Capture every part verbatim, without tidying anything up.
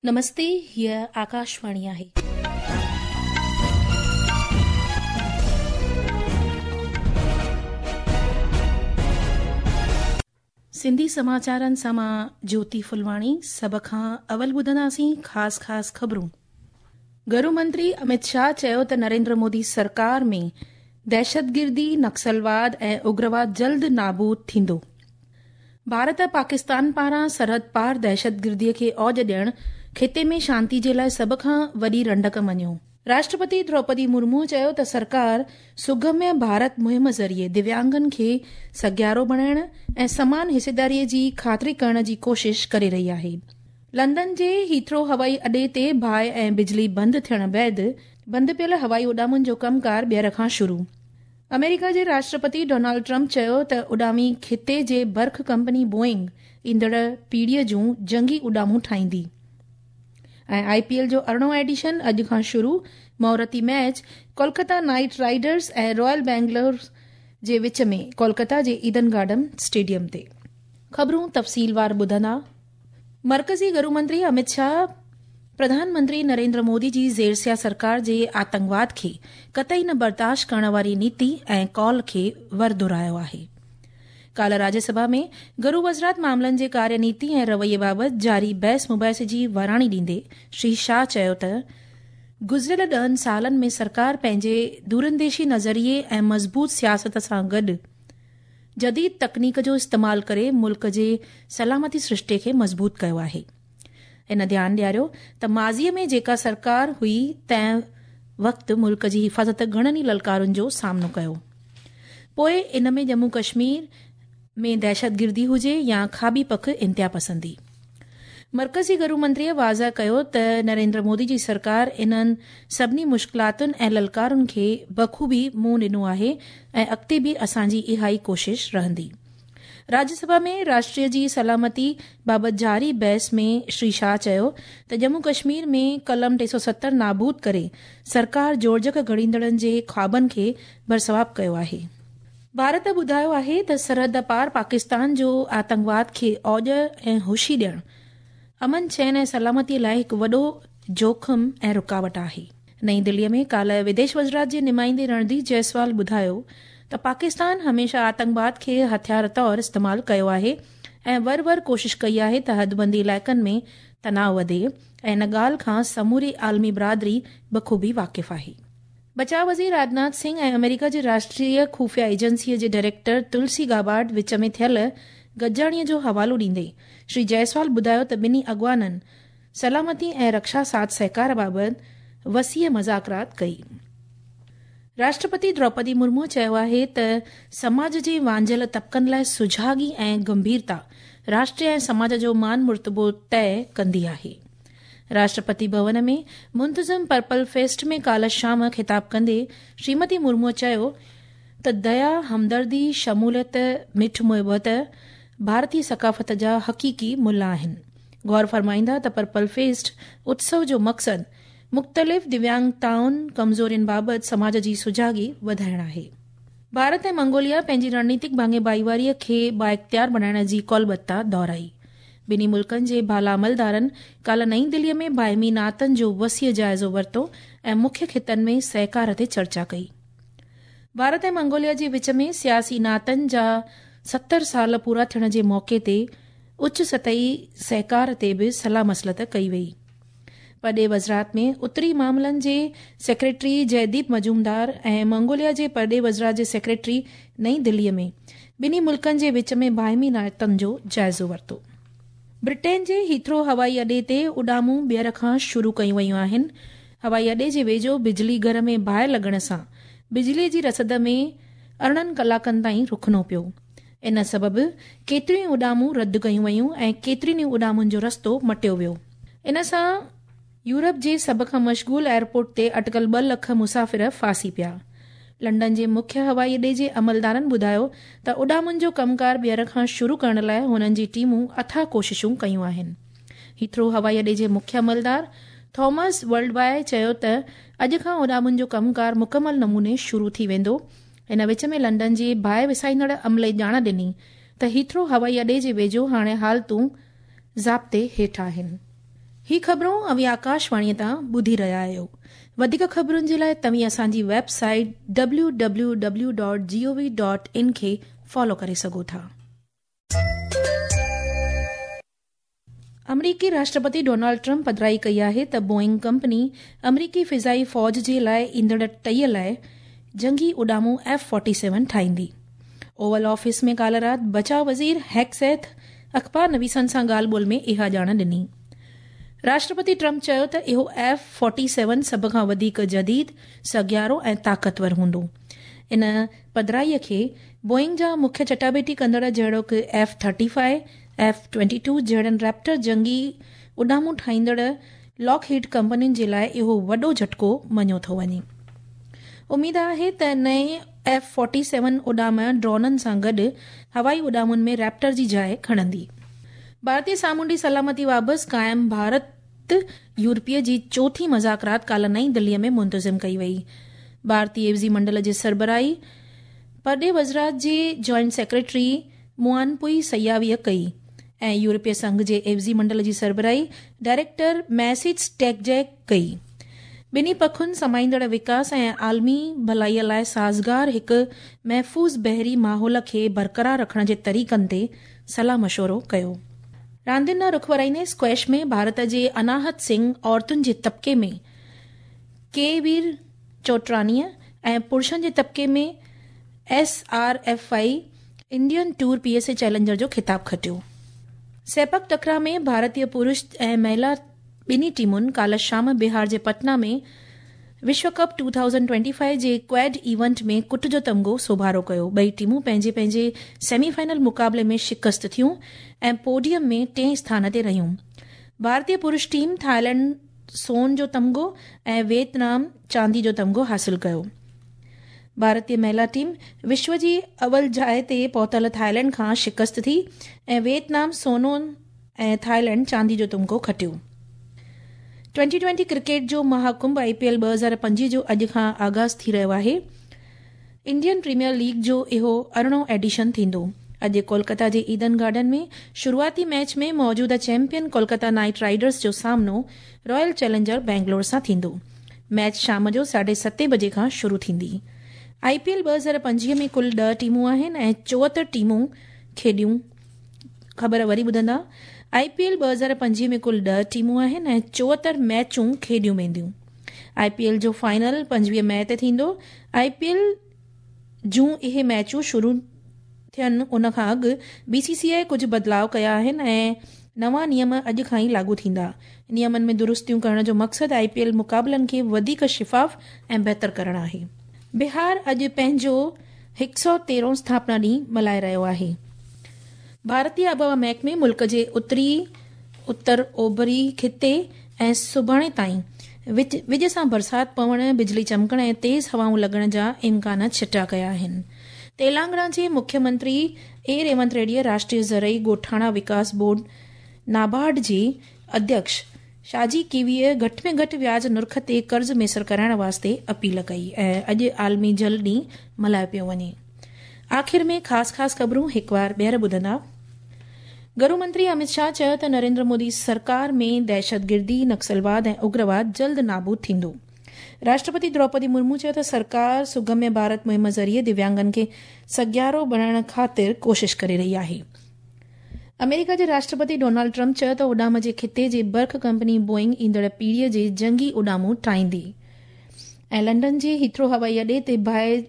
नमस्ते, हीअ आकाशवाणी आहे. सिंधी समाचारनि सां मां ज्योति फुलवाणी। सभ खां अवल ॿुधंदासीं ख़ासि ख़ासि ख़बरूं। गृह मंत्री अमित शाह चयो त नरेंद्र मोदी सरकार में दहशतगिर्दी, नक्सलवाद ऐं उग्रवाद जल्द नाबूद थींदो। भारत पाकिस्तान पारां सरहद पार दहशतगिर्दीअ खे औज ॾियण ख़िते में शांति जे लाइ सभ खां वॾी रंडक मञियो। राष्ट्रपति द्रौपदी मुर्मू चयो त सरकार सुगम्य भारत मुहिम ज़रिए दिव्यांगनि खे सघियारो बणाइण ऐं समान हिस्सेदारीअ जी ख़ातिरी करण जी कोशिश करे रही आहे। लंदन जे हीथ्रो हवाई अॾे ते बाहि ऐं बिजली बंदि थियण बाद बंदि पियल हवाई उॾामुनि जो कमकार ॿीहर खां शुरू। अमेरिका जे राष्ट्रपति डोनाल्ड ट्रंप चयो त उॾामी ख़िते जे बर्ख कंपनी बोइंग ईंदड़ पीढ़ीअ जूं जंगी उॾामूं ठाहींदी। ऐं I P L जो अरिड़हों एडिशन अॼु खां शुरू। मुहूर्ती मैच कोलकाता नाइट राइडर्स ऐं रॉयल बेंगलोर जे विच में कोलकाता जे ईडन गार्डन स्टेडियम ते। ख़बरूं तफ़सीलवार ॿुधंदा। मर्कज़ी गृह मंत्री अमित शाह प्रधानमंत्री नरेंद्र मोदी जी ज़ेरसिया सरकार जे आतंकवाद खे कतई न बर्दाश्त करण वारी नीति ऐं कॉल खे वर दोहरायो आहे। काल्ह राज्यसभा में गृह वज़ारत मामलनि जे कार्यनीति ऐं रवैये बाबति जारी बहस मुबाहिसे जी वराणी ॾींदे श्री शाह चयो त गुज़िरियल ॾहनि सालनि में सरकार पंहिंजे दूरंदेशी नज़रिए ऐं मज़बूत सियासत सां गॾु जदीद तकनीक जो इस्तेमालु करे मुल्क जे सलामती सृष्टे खे मज़बूत कयो आहे। हिन ध्यानु ॾियारियो त माज़ीअ में जेका सरकार हुई तंहिं वक़्तु मुल्क जी हिफ़ाज़त घणनि ई ललकारुनि जो सामनो कयो, पोइ इन में जम्मू कश्मीर में दहशतगिर्दी हुजे या खाॿी पख इंतिहा पसंदी। मर्कज़ी गृह मंत्रीअ वाज़ह कयो त नरेंद्र मोदी जी सरकार इन्हनि सभिनी मुश्किलातुनि ऐं ललकारुनि खे बख़ूबी मुंहुं ॾिनो आहे ऐं अॻिते बि असांजी इहा ई कोशिश रहंदी। राज्यसभा में राष्ट्रीय जी सलामती बाबति जारी बहस में श्री शाह चयो त जम्मू कश्मीर में कलम टे सौ सत्तर नाबूद करे सरकार जोड़जक घड़ींदड़नि जे ख़्वाबनि खे बरसवाब कयो आहे। भारत ॿुधायो आहे त सरहद पार पाकिस्तान जो आतंकवाद खे औज ऐं हुशी ॾियण अमन चैन ऐं सलामतीअ लाइ हिकु वॾो जोख़िम ऐं रुकावट आहे। नई दिल्लीअ में काल्ह विदेश वज़ारत जे नुमाइंदे रणधीर जायसवाल ॿुधायो त पाकिस्तान हमेशह आतंकवाद खे हथियार तौर इस्तेमालु कयो आहे ऐं वर वर कोशिश कई आहे त हदबंदी इलाइक़नि में तनाव वधे ऐं इन ॻाल्हि खां समूरी आलमी बिरादरी बख़ूबी वाक़िफ़ आहे। बचाव वज़ीर राजनाथ सिंह ऐं अमेरिका जे राष्ट्रीय ख़ुफ़िया एजेंसीअ जे डायरेक्टर तुलसी गाबार्ड विच में थियल गॾिजाणीअ जो हवालो ॾींदे श्री जायसवाल ॿुधायो त ॿिन्ही अॻवाननि सलामती ऐं रक्षा साथ सहकार बाबति वसीअ मज़ाकरात कई। राष्ट्रपति द्रौपदी मुर्मू चयो आहे त समाज जे वांझियल तबक़नि लाइ सुझागी ऐं गंभीरता राष्ट्र ऐं समाज जो मान मुर्तबो तय कंदी आहे। राष्ट्रपति भवन में मुंतज़िम पर्पल फेस्ट में काल्ह शाम ख़िताब कंदे श्रीमती मुर्मू चयो त दया, हमदर्दी, शमूलियत, मिठ मुहबत भारतीय सकाफ़त जा हक़ीक़ी मुल आहिनि। गौर फरमाईंदा त पर्पल फेस्ट उत्सव जो मक़सदु मुख़्तलिफ़ दिव्यांगताउनि, कमज़ोरियुनि बाबति समाज जी सुझागी वधाइण आहे। भारत ऐं मंगोलिया पंहिंजी रणनीतिक भाङे भाईवारीअ खे बाइख़्तियार बणाइण जी कौलबद्धता दोहराई। ॿिन्ही मुल्कनि जे बाला अमलदारनि काल्ह नई दिल्लीअ में बाहिमी नातनि जो वसीअ जाइज़ो वरितो ऐं मुख्य ख़ितनि में सहकार ते चर्चा कई। भारत ऐं मंगोलिया जे विच में सियासी नातनि जा सत्तर साल पूरा थियण जे मौक़े ते उच्च सतही सहकार ते बि सलाह मसलत कई वई। परॾेह वज़ारत में उत्तरी मामलनि जे सेक्रेटरी जयदीप मजूमदार ऐं मंगोलिया जे परॾेह वज़ारत जे सेक्रेटरी नई दिल्लीअ में ॿिन्ही मुल्कनि जे विच में बाहिमी नातनि जो जाइज़ो वरितो। ब्रिटेन जे हीथ्रो हवाई अॾे ते उॾामूं ॿीहर खां शुरू कयूं वयूं आहिनि। हवाई अॾे जे वेझो बिजली घर में बाहि लॻण सां बिजलीअ जी रसद में अरिड़हनि कलाकनि ताईं रुकणो पियो। इन सबबु केतिरियूं ई उॾामूं रद्द कयूं वयूं ऐं केतिरियुनि ई उॾामुनि जो रस्तो मटियो वियो। इन सां यूरोप जे सभ खां मशगूल एयरपोर्ट ते अटकल ॿ लख मुसाफ़िर फांसी पिया। लंदन जे मुख्य हवाई अॾे जे अमलदारनि ॿुधायो त उॾामुनि जो कमकार ॿीहर खां शुरू करण लाइ हुननि जी टीमूं अथाह कोशिशूं कयूं आहिनि। हीथ्रो हवाई अॾे जे मुख्य अमलदार थॉमस वर्ल्ड वाइड चयो त अॼु खां उॾामुनि जो कमकार मुकमल नमूने शुरू थी वेंदो। इन विच में लंदन जे बाहि विसाईंदड़ अमले ॼाण ॾिनी त हीथ्रो हवाई अॾे जे वेझो हाणे हालतूं ज़ाब्ते हेठि आहिनि। ही ख़बरूं अव्हीं आकाशवाणीअ तां ॿुधी रहिया आहियो। वधीक ख़बरुनि जे लाइ तव्हीं असांजी website W W W dot G O V dot in खे फॉलो करे सघो था। अमरीकी राष्ट्रपति डोनाल्ड ट्रंप पधराई कई आहे त बोइंग कंपनी अमरीकी फ़िज़ाई फ़ौज जे लाइ ईंदड़ टीह लाइ जंगी उॾामूं एफ फोर्टी सेवन ठाहींदी। ओवल ऑफिस में काल्ह राति बचाव वज़ीर हेगसेथ अख़बार नवीसनि सां ॻाल्हि ॿोल में इहा ॼाण ॾिनी। राष्ट्रपति ट्रंप चयो त इहो एफ फोर्टी सेवन सभ खां वधीक जदीद, सघियारो ऐं ताक़तवर हूंदो। इन पधराईअ खे बोइंग जा मुख्य चटाबेटी कंदड़ जहिड़ोक F thirty five, F twenty two जहिड़नि Raptor जंगी उॾामूं ठाहींदड़ लॉकहीड कंपनियुनि जे लाइ इहो वॾो झटको मञियो थो वञे। उमेद आहे त नए एफ फोर्टी सेवन उॾाम ड्रोननि सां गॾु हवाई उॾामुनि में रैप्टर जी जाइ खणंदी। भारतीय सामुंडी सलामती बाबति क़ाइमु भारत यूरोपीय जी चोथीं मज़ाकरात काल्ह नई दिल्लीअ में मुंतज़िम कई वई। भारतीय एवज़ी मंडल जी सरबराही परॾेह वज़ारत जे जॉइंट सेक्रेटरी मुआनपुई सयावीअ कई ऐं यूरोपीय संघ जे एवज़ी मंडल जी सरबराही डायरेक्टर मैसिज टेकजैक कई। ॿिन्ही पखुनि समाईंदड़ विकास ऐं आलमी भलाईअ लाइ साज़गार हिकु महफ़ूज़ बहरी माहौल खे बरक़रार रखण जे तरीक़नि ते सलाह मशवरो कयो। रांदियुनि ॾांहुं रुख वराईंदे स्क्वैश में भारत जे अनाहत सिंह औरतुनि जे तबिके में के वीर चोटरानीअ ऐं पुरुषनि जे तबिके में S R F I Indian tour P S A challenger जो ख़िताब खटियो। सेपक टकरा में भारतीय पुरुष ऐं महिला ॿिन्ही टीमुनि काल्ह शाम बिहार जे पटना में विश्व कप दो हज़ार पच्चीस जे क्वैड इवेंट में कुट जो तमगो सोभारो कयो। ॿई टीमूं पंहिंजे पंहिंजे सेमीफाइनल मुक़ाबले में शिकस्त थियूं ऐं पोडियम में टे स्थान ते रहियूं। भारतीय पुरुष टीम थाईलैंड सोन जो तमगो ऐं वियतनाम चांदी जो तमगो हासिल कयो। भारतीय महिला टीम विश्व जी अवल जाइ ते पहुतल थाईलैंड खां शिकस्त थी ऐं वियतनाम सोनो ऐं थाईलैंड चांदी जो तमगो खटियो। ट्वेंटी ट्वेंटी क्रिकेट जो महाकुंभ I P L ॿ हज़ार पंजवीह जो अॼु खां आगाज़ थी रहियो आहे। इंडियन प्रीमियर लीग जो इहो अरिड़हों एडिशन थींदो। अॼु कोलकाता जे ईडन गार्डन में शुरूआती मैच में मौजूदा चैंपियन कोलकाता नाइट राइडर्स जो सामनो रॉयल चैलेंजर बेंगलोर सां थींदो। मैच शाम जो साढे सते बजे खां शुरू थींदी। I P L ॿ हज़ार पंजवीह में कुल ॾह टीमूं आहिनि ऐं चोहतरि टीमूं खेॾियूं। ख़बर वरी ॿुधंदा, I P L ॿ हज़ार पंजवीह में कुल ॾह टीमूं आहिनि ऐं चोहतरि मैचूं खेॾियूं वेंदियूं। I P L जो फाइनल पंजवीह मई ते थींदो। I P L जूं इहे मैचूं शुरू थियनि उन खां अॻु बी सी सी आई कुझु बदिलाव कया आहिनि ऐं नवां नियम अॼु खां ई लागू थींदा। नियमनि में दुरुस्तियूं करण जो मक़सदु I P L मुक़ाबलनि खे वधीक शिफ़ाफ़ ऐं बहितर करणु आहे। बिहार अॼु पंहिंजो हिकु सौ तेरहों स्थापना ॾींहुं मल्हाए रहियो आहे। भारतीय आबहावा महकमे मुल्क जे उत्तरी उत्तर ओभरी खिते ऐं सुभाणे ताईं विज सां बरसाति पवण, बिजली चमकण ऐं तेज़ हवाऊं लॻण जा इम्कान छिटा कया आहिनि। तेलंगाना जे मुख्यमंत्री ए रेवंत रेड्डीअ राष्ट्रीय ज़रई ॻोठाणा विकास बोर्ड नाबार्ड जे अध्यक्ष शाजी कीवीअ घटि में घटि व्याज नुर्ख ते कर्ज़ मयसर कराइण वास्ते अपील कई ऐं अॼु आलमी जल ॾींहुं मल्हायो पियो वञे। आख़िर में ख़ासि ख़ासि ख़बरूं हिकु वार ॿीहर ॿुधंदा। गृह मंत्री अमित शाह चयो त नरेंद्र मोदी सरकार में दहशतगिर्दी, नक्सलवाद ऐं उग्रवाद जल्द नाबूद थींदो। राष्ट्रपति द्रौपदी मुर्मू चयो त सरकार सुगम्य भारत मुहिम ज़रिए दिव्यांगनि खे सघियारो बणाइण ख़ातिर कोशिश करे रही आहे। अमेरिका जे राष्ट्रपति डोनाल्ड ट्रंप चयो त उॾाम जे खिते जे बर्ख कंपनी बोइंग ईंदड़ पीढ़ीअ जे जंगी उॾामूं ठाहींदी। ऐं लंडन जे हीथ्रो हवाई अॾे ते बाहि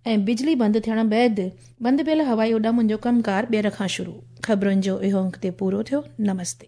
ऐं बिजली बंदि थियण बाद बंदि पियल हवाई उॾामुनि जो कमकार ॿीहर खां शुरू। ख़बरुनि जो इहो अंक ते पूरो थियो। नमस्ते।